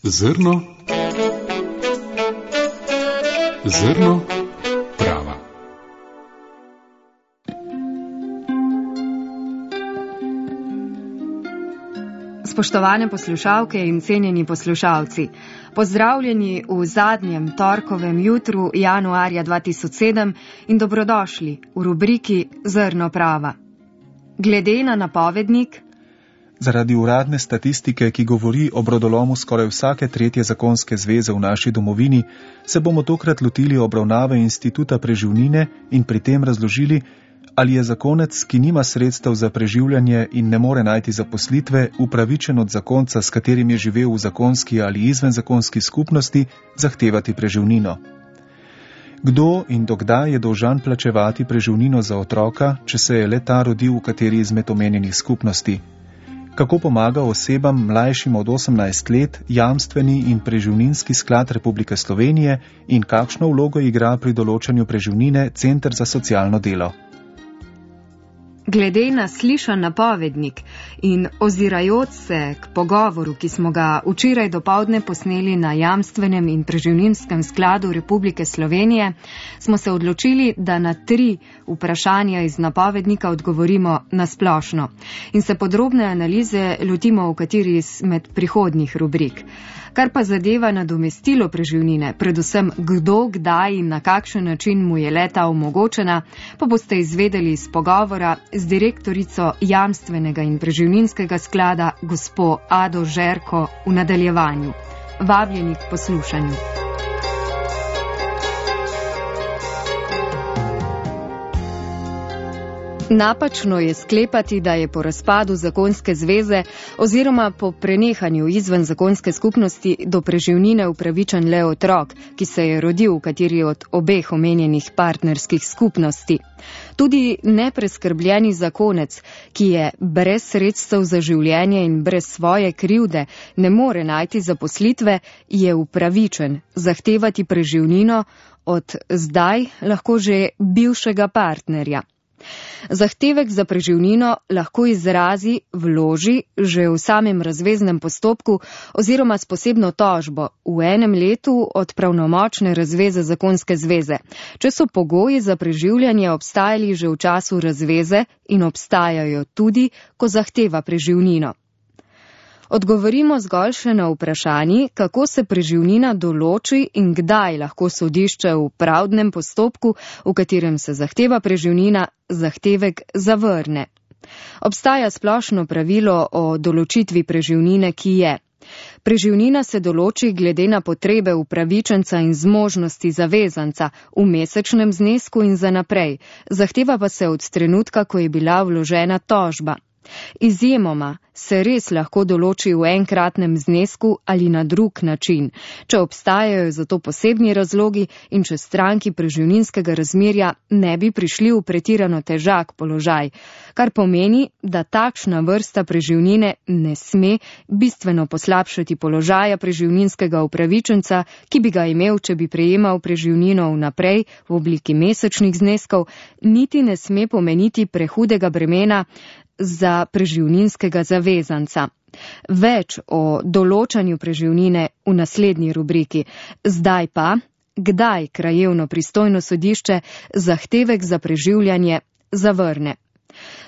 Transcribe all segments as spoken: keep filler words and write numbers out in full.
Zrno, zrno prava. Spoštovane poslušalke in cenjeni poslušalci, pozdravljeni v zadnjem torkovem jutru januarja dva tisoč sedem in dobrodošli v rubriki Zrno prava. Glede na napovednik, zaradi uradne statistike, ki govori o brodolomu skoraj vsake tretje zakonske zveze v naši domovini, se bomo tokrat lotili obravnave instituta preživnine in pri tem razložili, ali je zakonec, ki nima sredstev za preživljanje in ne more najti zaposlitve, upravičen od zakonca, s katerim je živel v zakonski ali izvenzakonski skupnosti, zahtevati preživnino. Kdo in dokdaj je dolžan plačevati preživnino za otroka, če se je le ta rodil v kateri izmed omenjenih skupnosti? Kako pomaga osebam mlajšim od osemnajst let jamstveni in preživninski sklad Republike Slovenije in kakšno vlogo igra pri določanju preživnine Center za socialno delo? Glede na slišan napovednik in ozirajoč se k pogovoru, ki smo ga včeraj dopoldne posneli na jamstvenem in preživninskem skladu Republike Slovenije, smo se odločili, da na tri vprašanja iz napovednika odgovorimo na splošno in se podrobne analize lotimo v kateri izmed prihodnjih rubrik. Kar pa zadeva nadomestilo preživnine, predvsem kdo, kdaj in na kakšen način mu je leta omogočena, pa boste izvedeli iz pogovora z direktorico jamstvenega in preživninskega sklada gospo Ado Žerko v nadaljevanju. Vabljeni k poslušanju. Napačno je sklepati, da je po razpadu zakonske zveze oziroma po prenehanju izven zakonske skupnosti do preživnine upravičen le otrok, ki se je rodil v kateri od obeh omenjenih partnerskih skupnosti. Tudi nepreskrbljeni zakonec, ki je brez sredstev za življenje in brez svoje krivde ne more najti zaposlitve, je upravičen zahtevati preživnino od zdaj lahko že bivšega partnerja. Zahtevek za preživnino lahko izrazi, vloži že v samem razveznem postopku oziroma s posebno tožbo v enem letu od pravnomočne razveze zakonske zveze, če so pogoji za preživljanje obstajali že v času razveze in obstajajo tudi, ko zahteva preživnino. Odgovorimo zgolj še na vprašanji, kako se preživnina določi in kdaj lahko sodišče v pravdnem postopku, v katerem se zahteva preživnina, zahtevek zavrne. Obstaja splošno pravilo o določitvi preživnine, ki je: preživnina se določi glede na potrebe upravičenca in zmožnosti zavezanca v mesečnem znesku in za naprej, zahteva pa se od trenutka, ko je bila vložena tožba. Izjemoma se res lahko določi v enkratnem znesku ali na drug način, če obstajajo za to posebni razlogi in če stranki preživninskega razmerja ne bi prišli v pretirano težak položaj, kar pomeni, da takšna vrsta preživnine ne sme bistveno poslabšati položaja preživninskega upravičenca, ki bi ga imel, če bi prejemal preživnino vnaprej v obliki mesečnih zneskov, niti ne sme pomeniti prehudega bremena za preživninskega zavezanca. Več o določanju preživnine v naslednji rubriki. Zdaj pa, kdaj krajevno pristojno sodišče zahtevek za preživljanje zavrne.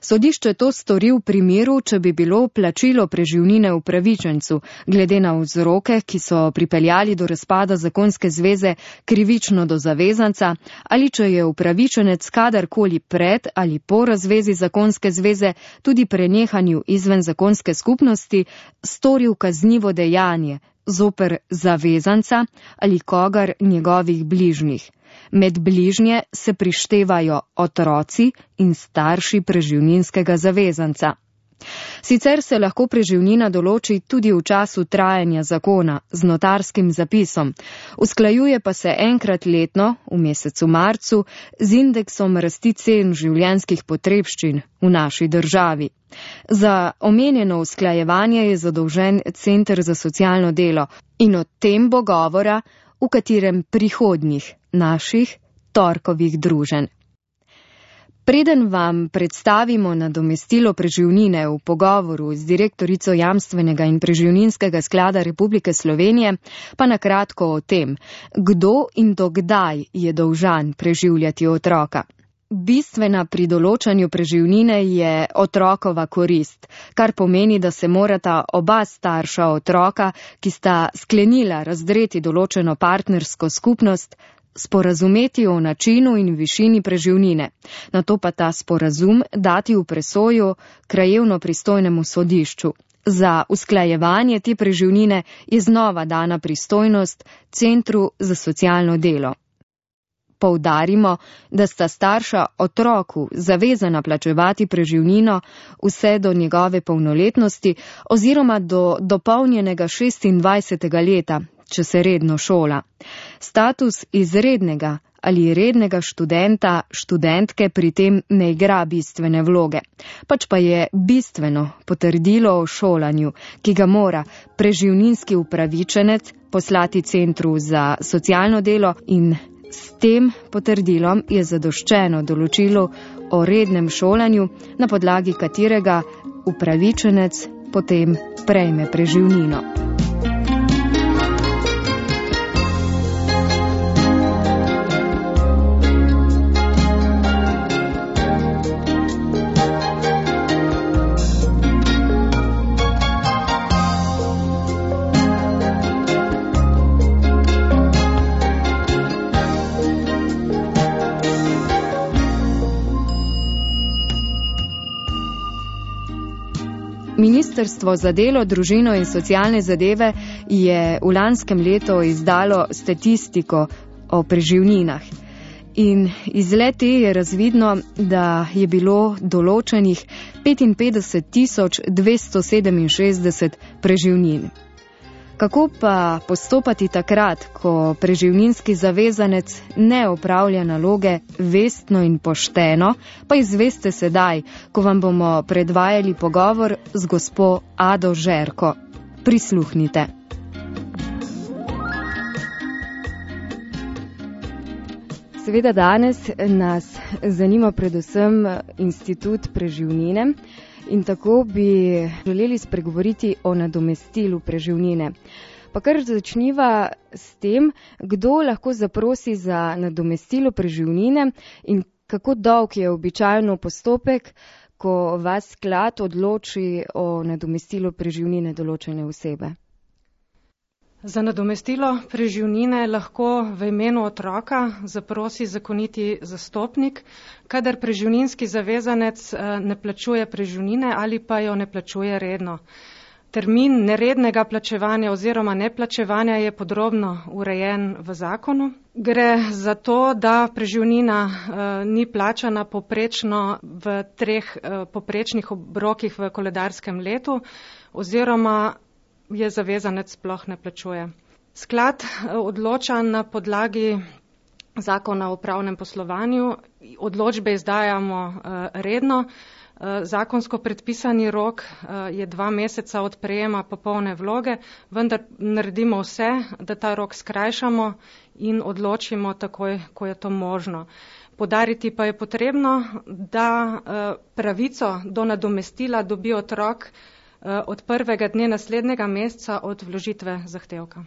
Sodišče to stori v primeru, če bi bilo plačilo preživnine upravičencu, glede na vzroke, ki so pripeljali do razpada zakonske zveze, krivično do zavezanca, ali če je upravičenec kadarkoli pred ali po razvezi zakonske zveze, tudi prenehanju izven zakonske skupnosti, storil kaznivo dejanje zoper zavezanca ali kogar njegovih bližnjih. Med bližnje se prištevajo otroci in starši preživninskega zavezanca. Sicer se lahko preživnina določi tudi v času trajanja zakona z notarskim zapisom, usklajuje pa se enkrat letno v mesecu marcu z indeksom rasti cen življenjskih potrebščin v naši državi. Za omenjeno usklajevanje je zadolžen Center za socialno delo in o tem bo govora v katerem prihodnjih naših torkovih druženj. Preden vam predstavimo nadomestilo preživnine v pogovoru z direktorico Jamstvenega in preživninskega sklada Republike Slovenije, pa na kratko o tem, kdo in dokdaj je dolžan preživljati otroka. Bistvena pri določanju preživnine je otrokova korist, kar pomeni, da se morata oba starša otroka, ki sta sklenila razdreti določeno partnersko skupnost, sporazumeti o načinu in višini preživnine, nato pa ta sporazum dati v presojo krajevno pristojnemu sodišču. Za usklajevanje te preživnine je znova dana pristojnost Centru za socialno delo. Poudarimo, da sta starša otroku zavezana plačevati preživnino vse do njegove polnoletnosti oziroma do dopolnjenega šestindvajsetega leta, če se redno šola. Status izrednega ali rednega študenta, študentke pri tem ne igra bistvene vloge, pač pa je bistveno potrdilo o šolanju, ki ga mora preživninski upravičenec poslati Centru za socialno delo, in s tem potrdilom je zadoščeno določilo o rednem šolanju, na podlagi katerega upravičenec potem prejme preživnino. Ministrstvo za delo, družino in socialne zadeve je v lanskem letu izdalo statistiko o preživninah. In iz le-te je razvidno, da je bilo določenih petinpetdeset tisoč dvesto sedeminšestdeset preživnin. Kako pa postopati takrat, ko preživninski zavezanec ne opravlja naloge vestno in pošteno, pa izveste sedaj, ko vam bomo predvajali pogovor z gospo Ado Žerko. Prisluhnite. Seveda danes nas zanima predvsem institut preživnine. In tako bi želeli spregovoriti o nadomestilu preživnine. Pa kar začniva s tem, kdo lahko zaprosi za nadomestilo preživnine in kako dolg je običajno postopek, ko vas sklad odloči o nadomestilu preživnine določene osebe. Za nadomestilo preživnine lahko v imenu otroka zaprosi zakoniti zastopnik, kadar preživninski zavezanec ne plačuje preživnine ali pa jo ne plačuje redno. Termin nerednega plačevanja oziroma neplačevanja je podrobno urejen v zakonu. Gre za to, da preživnina ni plačana poprečno v treh poprečnih obrokih v koledarskem letu oziroma je zavezanec sploh ne plačuje. Sklad odloča na podlagi zakona o upravnem poslovanju, odločbe izdajamo redno, zakonsko predpisani rok je dva meseca od prejema popolne vloge, vendar naredimo vse, da ta rok skrajšamo in odločimo takoj, ko je to možno. Podariti pa je potrebno, da pravico do nadomestila dobi otrok od prvega dne naslednjega meseca od vložitve zahtevka.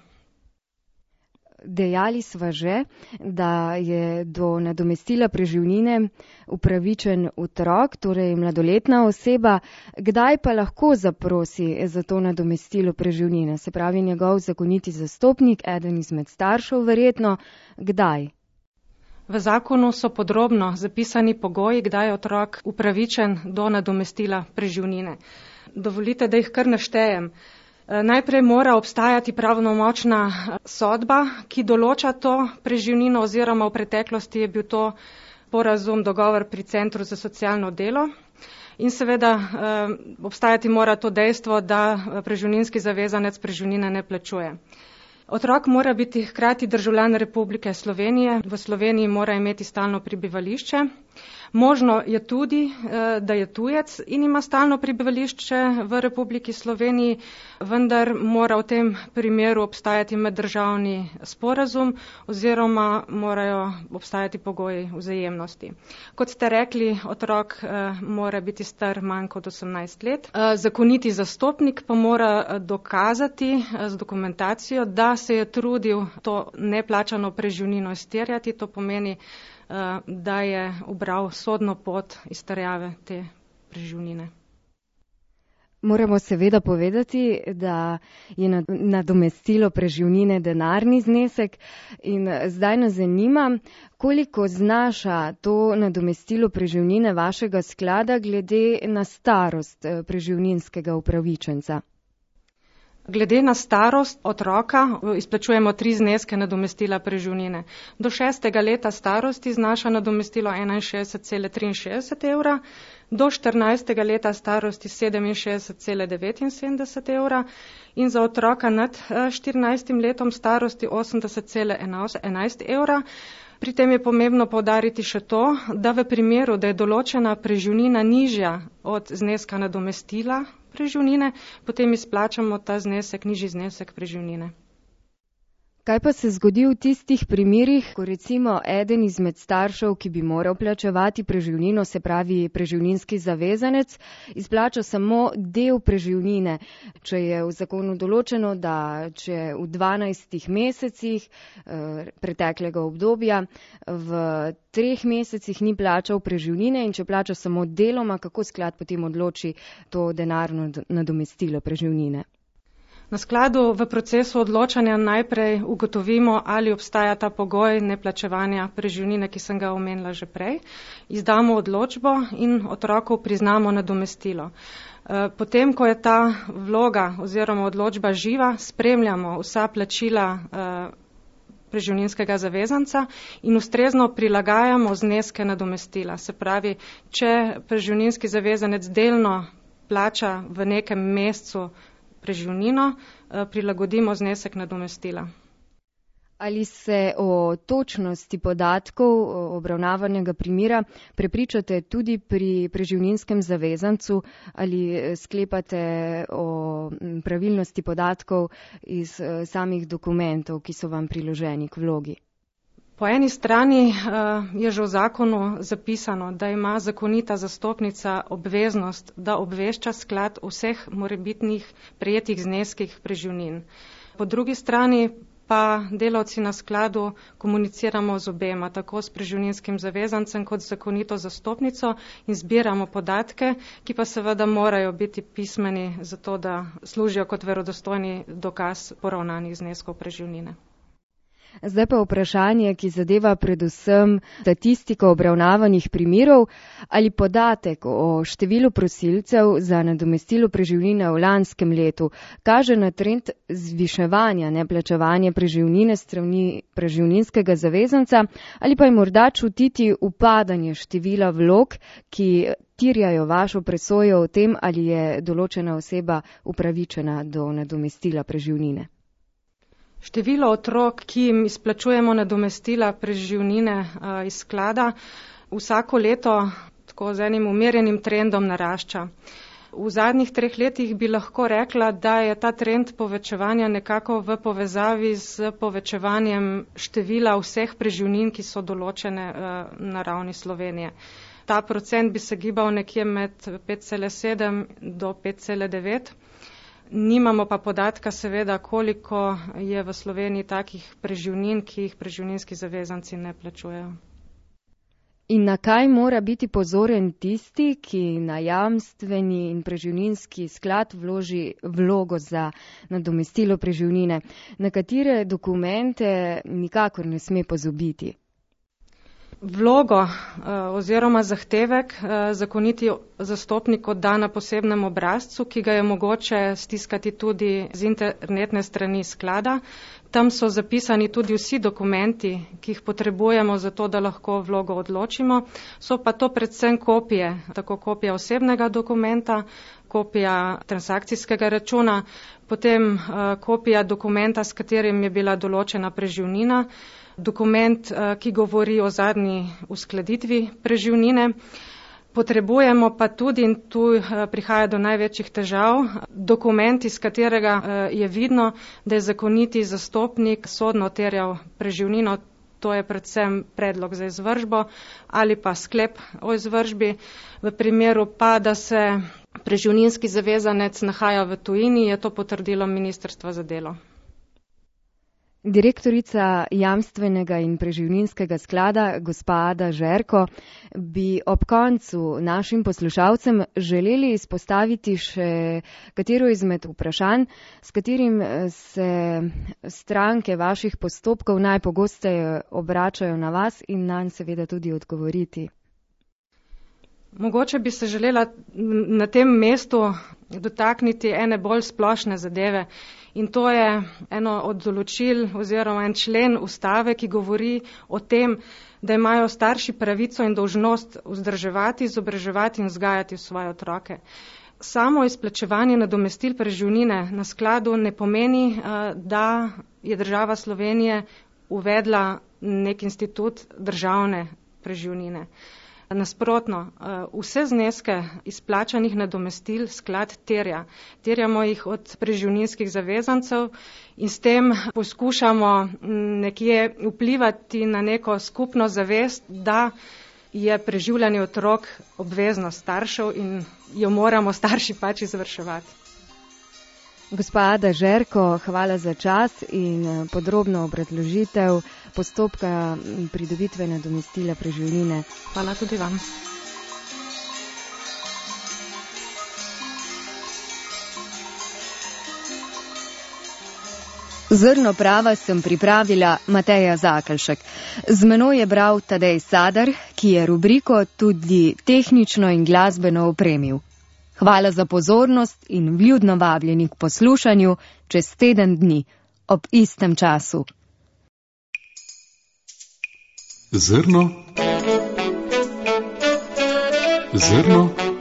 Dejali sva že, da je do nadomestila preživnine upravičen otrok, torej mladoletna oseba. Kdaj pa lahko zaprosi za to nadomestilo preživnine? Se pravi njegov zakoniti zastopnik, eden izmed staršev verjetno. Kdaj? V zakonu so podrobno zapisani pogoji, kdaj je otrok upravičen do nadomestila preživnine. Dovolite, da jih kar naštejem. Najprej mora obstajati pravnomočna sodba, ki določa to preživnino oziroma v preteklosti je bil to sporazum, dogovor pri Centru za socialno delo. In seveda obstajati mora to dejstvo, da preživninski zavezanec preživnine ne plačuje. Otrok mora biti hkrati državljan Republike Slovenije, v Sloveniji mora imeti stalno prebivališče. Možno je tudi, da je tujec in ima stalno prebivališče v Republiki Sloveniji, vendar mora v tem primeru obstajati meddržavni sporazum oziroma morajo obstajati pogoji vzajemnosti. Kot ste rekli, otrok mora biti star manj kot osemnajst let. Zakoniti zastopnik pa mora dokazati z dokumentacijo, da se je trudil to neplačano preživnino izterjati, to pomeni, da je ubral sodno pot izterjave te preživnine. Moramo seveda povedati, da je nadomestilo preživnine denarni znesek in zdaj nas zanima, koliko znaša to nadomestilo preživnine vašega sklada glede na starost preživninskega upravičenca. Glede na starost otroka izplačujemo tri zneske nadomestila preživnine. Do šestega leta starosti znaša nadomestilo enainšestdeset cela triinšestdeset evra, do štirinajstega leta starosti sedeminšestdeset cela devetinsedemdeset evra in za otroka nad štirinajstim letom starosti osemdeset cela enajst evra. Pri tem je pomembno poudariti še to, da v primeru, da je določena preživnina nižja od zneska nadomestila preživnine, potem izplačamo ta znesek, nižji znesek preživnine. Kaj pa se zgodi v tistih primerih, ko recimo eden izmed staršev, ki bi moral plačevati preživnino, se pravi preživninski zavezanec, izplača samo del preživnine, če je v zakonu določeno, da če v dvanajstih mesecih eh, preteklega obdobja v treh mesecih ni plačal preživnine in če plača samo deloma, kako sklad potem odloči to denarno nadomestilo preživnine? Na skladu v procesu odločanja najprej ugotovimo, ali obstaja ta pogoj neplačevanja preživnine, ki sem ga omenila že prej. Izdamo odločbo in otroku priznamo nadomestilo. Potem, ko je ta vloga oziroma odločba živa, spremljamo vsa plačila preživninskega zavezanca in ustrezno prilagajamo zneske nadomestila. Se pravi, če preživninski zavezanec delno plača v nekem mesecu preživnino, prilagodimo znesek nadomestila. Ali se o točnosti podatkov obravnavanega primera prepričate tudi pri preživninskem zavezancu ali sklepate o pravilnosti podatkov iz samih dokumentov, ki so vam priloženi k vlogi? Po eni strani je že v zakonu zapisano, da ima zakonita zastopnica obveznost, da obvešča sklad o vseh morebitnih prejetih zneskih preživnin. Po drugi strani pa delavci na skladu komuniciramo z obema, tako s preživninskim zavezancem kot z zakonito zastopnico in zbiramo podatke, ki pa seveda morajo biti pismeni, zato da služijo kot verodostojni dokaz poravnanih zneskov preživnine. Zdaj pa vprašanje, ki zadeva predvsem statistiko obravnavanih primerov, ali podatek o številu prosilcev za nadomestilo preživnine v lanskem letu kaže na trend zviševanja neplačevanja preživnine strani preživninskega zavezanca ali pa je morda čutiti upadanje števila vlog, ki terjajo vašo presojo o tem, ali je določena oseba upravičena do nadomestila preživnine. Število otrok, ki jim izplačujemo nadomestila preživnine iz sklada, vsako leto tako z enim umerjenim trendom narašča. V zadnjih treh letih bi lahko rekla, da je ta trend povečevanja nekako v povezavi z povečevanjem števila vseh preživnin, ki so določene na ravni Slovenije. Ta procent bi se gibal nekje med pet cela sedem do pet cela devet. Nimamo pa podatka seveda, koliko je v Sloveniji takih preživnin, ki jih preživninski zavezanci ne plačujejo. In na kaj mora biti pozoren tisti, ki na jamstveni in preživninski sklad vloži vlogo za nadomestilo preživnine? Na katere dokumente nikakor ne sme pozabiti? Vlogo oziroma zahtevek zakoniti zastopnik odda na posebnem obrazcu, ki ga je mogoče stiskati tudi z internetne strani sklada. Tam so zapisani tudi vsi dokumenti, ki jih potrebujemo za to, da lahko vlogo odločimo. So pa to predvsem kopije, tako kopija osebnega dokumenta, kopija transakcijskega računa, potem kopija dokumenta, s katerim je bila določena preživnina, dokument, ki govori o zadnji uskladitvi preživnine. Potrebujemo pa tudi, in tu prihaja do največjih težav, dokument, iz katerega je vidno, da je zakoniti zastopnik sodno terjal preživnino, to je predvsem predlog za izvršbo ali pa sklep o izvršbi. V primeru pa, da se preživninski zavezanec nahaja v tujini, je to potrdilo Ministrstva za delo. Direktorica Jamstvenega in preživninskega sklada, gospa Ada Žerko, bi ob koncu našim poslušalcem želeli izpostaviti še katero izmed vprašanj, s katerim se stranke vaših postopkov najpogosteje obračajo na vas in nanj seveda tudi odgovoriti. Mogoče bi se želela na tem mestu dotakniti ene bolj splošne zadeve. In to je eno od določil oziroma en člen ustave, ki govori o tem, da imajo starši pravico in dolžnost vzdrževati, izobraževati in vzgajati svoje otroke. Samo izplačevanje nadomestil preživnine na skladu ne pomeni, da je država Slovenije uvedla nek institut državne preživnine. Nasprotno, vse zneske izplačanih nadomestil sklad terja. Terjamo jih od preživninskih zavezancev in s tem poskušamo nekje vplivati na neko skupno zavest, da je preživljanje otrok obveznost staršev in jo moramo starši pač izvrševati. Gospa Ada Žerko, hvala za čas in podrobno obrazložitev postopka pridobitve nadomestila preživnine. Hvala tudi vam. Zrno prava sem pripravila Mateja Zakelšek. Z menoj je bral Tadej Sadar, ki je rubriko tudi tehnično in glasbeno opremil. Hvala za pozornost in vljudno vabljeni k poslušanju čez teden dni ob istem času. Zrno. Zrno